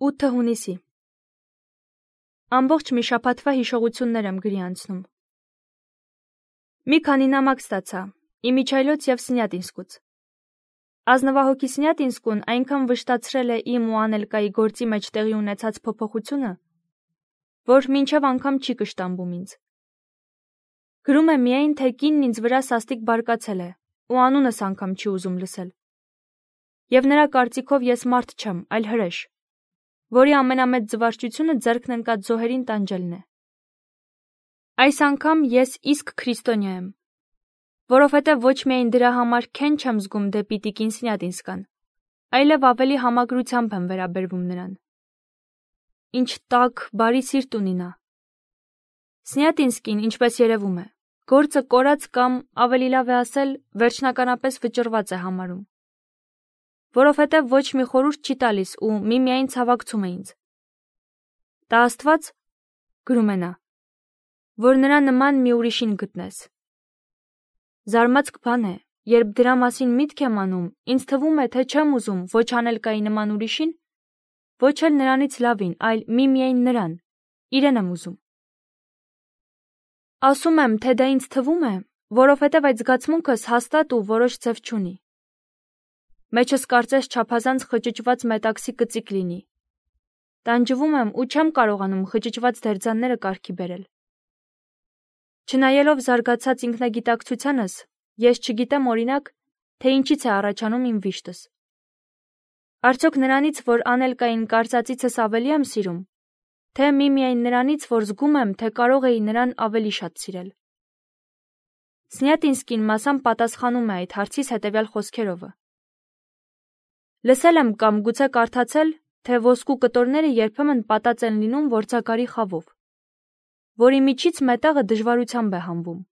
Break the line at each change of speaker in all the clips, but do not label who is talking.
8 հունիսի Ամբողջ մի շաբաթվա հիշողություններ եմ գրի անցնում։ Մի քանի նամակ ստացա Իմիջայլոց և Սնյատինսկուց։ Ազնվահոգի Սնյատինսկուն այնքան վշտացրել է իմ ու Անելկայի գործի մեջ տեղի ունեցած փոփոխությունը, որ մինչև անգամ չի կշտամբում ինձ։ Գրում է միայն, թե կինն ինձ վրա սաստիկ բարկացել է ու անունս անգամ չի ուզում լսել։ Եվ նրա կարծիքով ես մարդ չեմ, այլ հրեշ, որի ամենամեծ զվարճությունը ձեռքն ընկած զոհերին տանջելն է։ Այս անգամ ես իսկ քրիստոնյա եմ, որովհետև ոչ միայն դրա համար քեն չեմ զգում դեպի տիկին Սնյատինսկան, այլև ավելի համակրությամբ եմ վերաբերվում նրան։ Ինչ տաք, բարի սիրտ ունի նա։ Սնյատինսկին, ինչպես երևում է, գործը կորած կամ, ավելի լավ է ասել, վերջնականապես վճռված է համարում, որովհետև ոչ մի խորհուրդ չի տալիս ու միմիայն ցավակցում է ինձ։ Տա Աստված, գրում է նա, որ նրա նման մի ուրիշին գտնես։ Զարմացք բան է, երբ դրա մասին միտք եմ անում, ինձ թվում է, թե չեմ ուզում ոչ Անելկայի նման ուրիշին, ոչ էլ նրանից լավին, այլ միմիայն նրան, իրեն եմ ուզում։ Ասում եմ, թե դա ինձ թվում է, որովհետև այդ զգացմունքս հաստատ ու որոշ ձև չունի։ Մեջս կարծես չափազանց խճճված մետաքսի կծիկ լինի։ Տանջվում եմ ու չեմ կարողանում խճճված դերձանները կարգի բերել։ Չնայելով զարգացած ինքնագիտակցությանս, ես չգիտեմ օրինակ, թե ինչից է առաջանում իմ վիշտս։ Արդյոք նրանից, որ Անելկային կարծածիցս ավելի եմ սիրում, թե միմիայն նրանից, որ զգում եմ, թե կարող էի նրան ավելի շատ սիրել։ Սնյատինսկին մասամբ պատասխանում է այդ հարցիս հետևյալ խոսքերովը. Լսել եմ կամ գուցե կարդացել, թե ոսկու կտորները երբեմն պատած են լինում որձագարի խավով, որի միջից մետաղը դժվարությամբ է հանվում։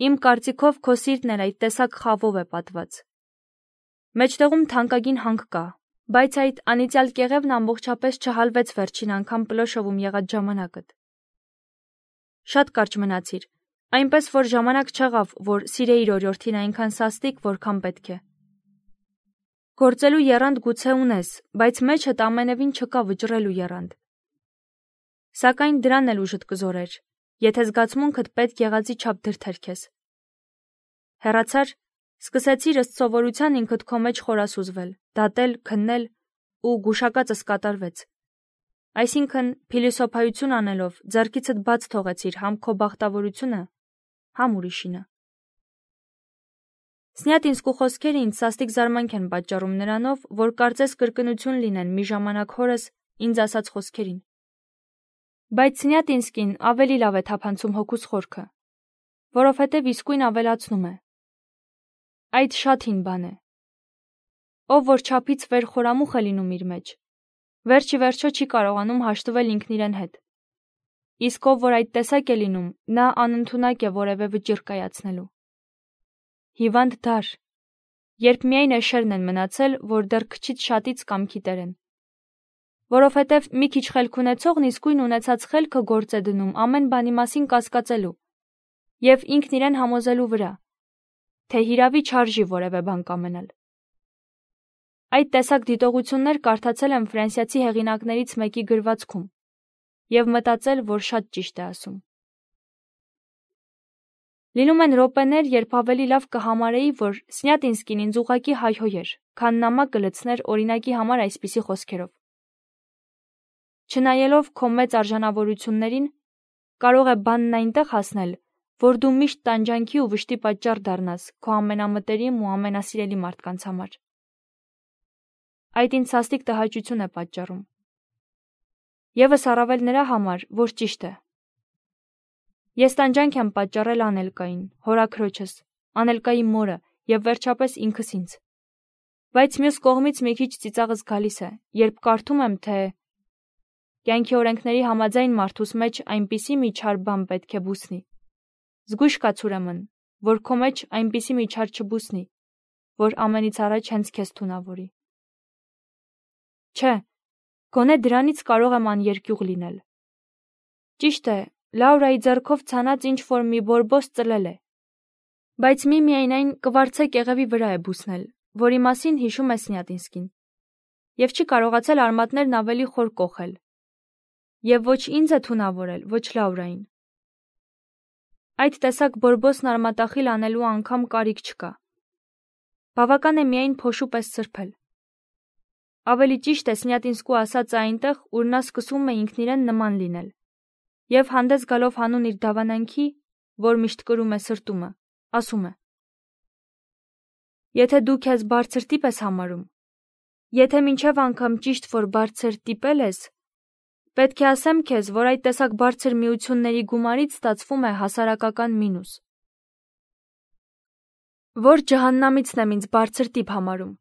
Իմ կարծիքով քո սիրտն էլ այդ տեսակ խավով է պատված։ Մեջտեղում թանկագին հանք կա, բայց այդ անիծյալ կեղևն ամբողջապես չհալվեց վերջին անգամ Պլոշովում եղած ժամանակդ։ Շատ կարճ մնացիր, այնպես որ ժամանակ չեղավ, որ սիրեիր օրիորդին այնքան սաստիկ, որքան պետք է։ Գործելու եռանդ գուցե ունես, բայց մեջդ ամենևին չկա վճռելու եռանդ։ Սակայն դրան էլ ուժդ կզորեր, եթե զգացմունքդ պետք եղածի չափ դրդեր քեզ։ Հեռացար, սկսեցիր ըստ սովորության ինքդ քո մեջ խորասուզվել, դատել, քննել ու գուշակածս կատարվեց։ Այսինքն, փիլիսոփայություն անելով, ձեռքիցդ բաց թողեցիր համ քո բախտավորությունը, համ ուրիշինը։ Սնյատինսկու խոսքերը ինձ սաստիկ զարմանք են պատճառում նրանով, որ կարծես կրկնություն լինեն մի ժամանակ հորս ինձ ասած խոսքերին։ Բայց Սնյատինսկին ավելի լավ է թափանցում հոգուս խորքը, որովհետև իսկույն ավելացնում է. այդ շատ հին բան է։ Ով որ չափից վեր խորամուխ է լինում իր մեջ, վերջի վերջո չի կարողանում հաշտվել ինքն իրեն հետ։ Իսկ ով որ այդ տեսակ է լինում, նա անընդունակ է որևէ վճիռ կայացնելու։ Հիվանդ դար, երբ միայն էշերն են մնացել, որ դեռ քչից շատից կամքի տեր են։ Որովհետև մի քիչ խելք ունեցողն իսկույն ունեցած խելքը գործ է դնում ամեն բանի մասին կասկածելու և ինքն իրեն համոզելու վրա, թե հիրավի չարժի որևէ բան կամենալ։ Այդ տեսակ դիտողություններ կարդացել եմ ֆրանսիացի հեղինակներից մեկի գրվածքում և մտածել, որ շատ ճիշտ է ասում։ Լինում են րոպեներ, երբ ավելի լավ կհամարեի, որ Սնյատինսկին ինձ ուղղակի հայհոյեր, քան նամակ կլցներ օրինակի համար այսպիսի խոսքերով. Չնայելով քո մեծ արժանավորություններին, կարող է բանն այնտեղ հասնել, որ դու միշտ տանջանքի ու վշտի պատճառ դառնաս քո ամենամտերիմ ու ամենասիրելի մարդկանց համար։ Այդ ինձ սաստիկ տհաճություն է պատճառում։ Եվս առավել նրա համար, որ ճիշտ է։ Ես տանջանք եմ պատճառել Անելկային, հորաքրոջս, Անելկայի մորը և վերջապես ինքս ինձ։ Բայց մյուս կողմից մի քիչ ծիծաղս գալիս է, երբ կարդում եմ, թե կյանքի օրենքների համաձայն մարդուս մեջ այնպիսի մի չար բան պետք է բուսնի։ Զգույշ կաց ուրեմն, որ քո մեջ այնպիսի մի չար չբուսնի, որ ամենից առաջ հենց քեզ թունավորի։ Չէ, գոնե դրանից կարող եմ աներկյուղ լինել։ Ճիշտ է, Լաուրայի ձեռքով ցանած ինչ-որ մի բորբոս ծլել է, բայց միմիայն այն կվարձե կեղևի վրա է բուսնել, որի մասին հիշում է Սնյատինսկին։ և չի կարողացել արմատներն ավելի խոր կոխել։ Եվ ոչ ինձ է թունավորել, ոչ Լաուրային։ Այդ տեսակ բորբոսն արմատախիլ անելու անգամ կարիք չկա։ Բավական է միայն փոշու պես սրբել։ Ավելի ճիշտ է Սնյատինսկու ասածը այնտեղ, ուր նա սկսում է ինքն իրեն նման լինել, և հանդես գալով հանուն իր դավանանքի, որ միշտ կրում է սրտումը, ասում է. Եթե դու քեզ բարձր տիպ ես համարում, եթե մինչև անգամ ճիշտ որ բարձր տիպել ես, պետք է ասեմ քեզ, որ այդ տեսակ բարձր միությունների գումարից ստացվում է հասարակական մինուս։ Որ ջահաննամիցն եմ ինձ բարձր տիպ համարում,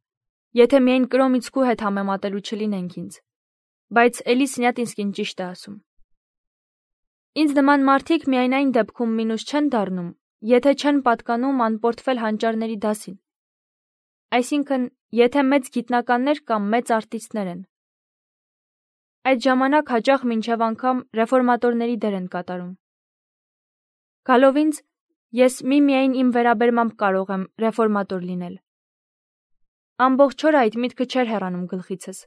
եթե միայն Կրոմիցկու հետ համեմատելու չլինենք ինձ, բայց էլի Սնյատինսկին ճիշտ է ասում։ Ինձ նման մարդիկ միայն այն դեպքում մինուս չեն դառնում, եթե չեն պատկանում անպորտվել հանճարների դասին։ Այսինքն, եթե մեծ գիտնականներ կամ մեծ արտիստներ են։ Այդ ժամանակ հաճախ մինչև անգամ ռեֆորմատորների դեր են կատարում։ Գալով ինձ, ես միայն իմ վերաբերմամբ կարող եմ ռեֆորմատոր լինել։ Ամբողջ օրը այդ միտքը չէր հեռանում գլխիցս,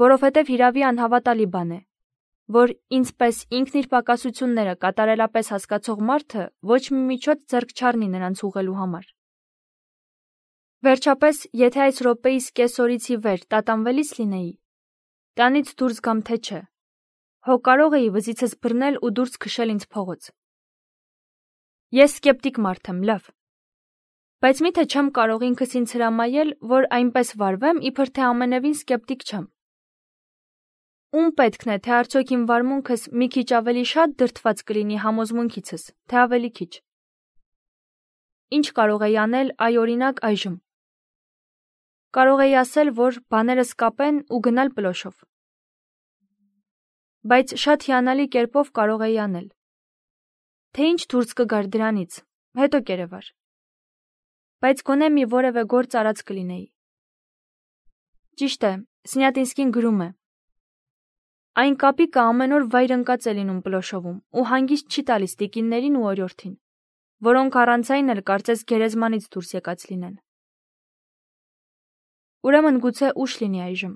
որովհետև հիրավի անհավատալի բան է, որ ինձ պես ինքն իր պակասությունները կատարելապես հասկացող մարդը ոչ մի միջոց ձեռք չառնի նրանց ուղղելու համար։ Վերջապես, եթե այս րոպեիս կես օրից ի վեր տատանվելիս լինեի, տանից դուրս գամ թե չէ, հո կարող էի վզիցս բռնել ու դուրս քշել ինձ փողոց։ Ես սկեպտիկ մարդ եմ, լավ, բայց միթե չեմ կարող ինքս ինձ հրամայել, որ այնպես վարվեմ, իբր թե ամենևին սկեպտիկ չեմ։ Ում պետքն է, թե արդյոք իմ վարմունքս մի քիչ ավելի շատ դրդված կլինի համոզմունքիցս, թե ավելի քիչ։ Ինչ կարող էի անել, այ օրինակ այժմ։ Կարող էի ասել, որ բաներս կապեն ու գնալ պլոշով։ Բայց շատ հիանալի կերպով կարող էի անել։ Թե ինչ դուրս կգար դրանից, հետո կերևար։ Բայց գոնե մի որևէ գործ արած կլինեի։ Ճիշտ է, Սնյատինսկին գրում է. Այն կապիկը ամեն օր վայր ընկած է լինում պլոշովում ու հանգիստ չի տալիս տիկիններին ու օրիորդին, որոնք առանց այն էլ կարծես գերեզմանից դուրս եկած լինեն։ Ուրեմն գուցե ուշ լինի այժմ։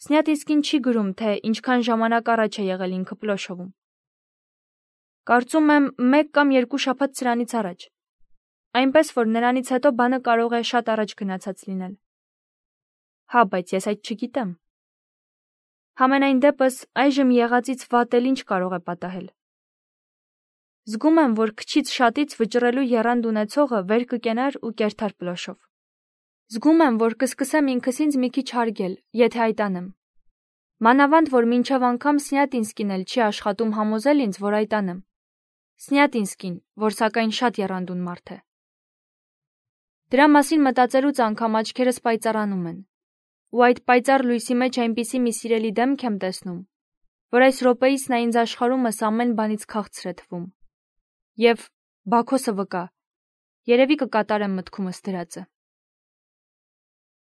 Սնյատինսկին չի գրում, թե ինչքան ժամանակ առաջ է եղել ինքը պլոշովում։ Կարծում եմ 1 կամ 2 շաբաթ սրանից առաջ։ Այնպես որ նրանից հետո բանը կարող է շատ առաջ գնացած լինել։ Հա, բայց ես այդ չգիտեմ։ Համենայն դեպս այժմ եղածից վատ էլ ինչ կարող է պատահել։ Զգում եմ, որ քչից շատից վճռելու եռանդ ունեցողը վեր կկենար ու կերթար պլոշով։ Զգում եմ, որ կսկսեմ ինքս ինձ մի քիչ հարգել, եթե այդ անեմ։ Մանավանդ, որ մինչև անգամ Սնյատինսկին էլ չի աշխատում համոզել ինձ, որ այդ անեմ։ Սնյատինսկին, որ սակայն շատ եռանդուն մարդ է։ Դրա մասին մտածելուց անգամ աչքերս պայծառանում են։ Ու այդ պայծառ լույսի մեջ այնպիսի մի սիրելի դեմք եմ տեսնում, որ այս րոպեիս նա ինձ աշխարհումս ամեն բանից քաղցր է թվում։ Եվ Բաքոսը վկա, երևի կկատարեմ մտքումս դրածը։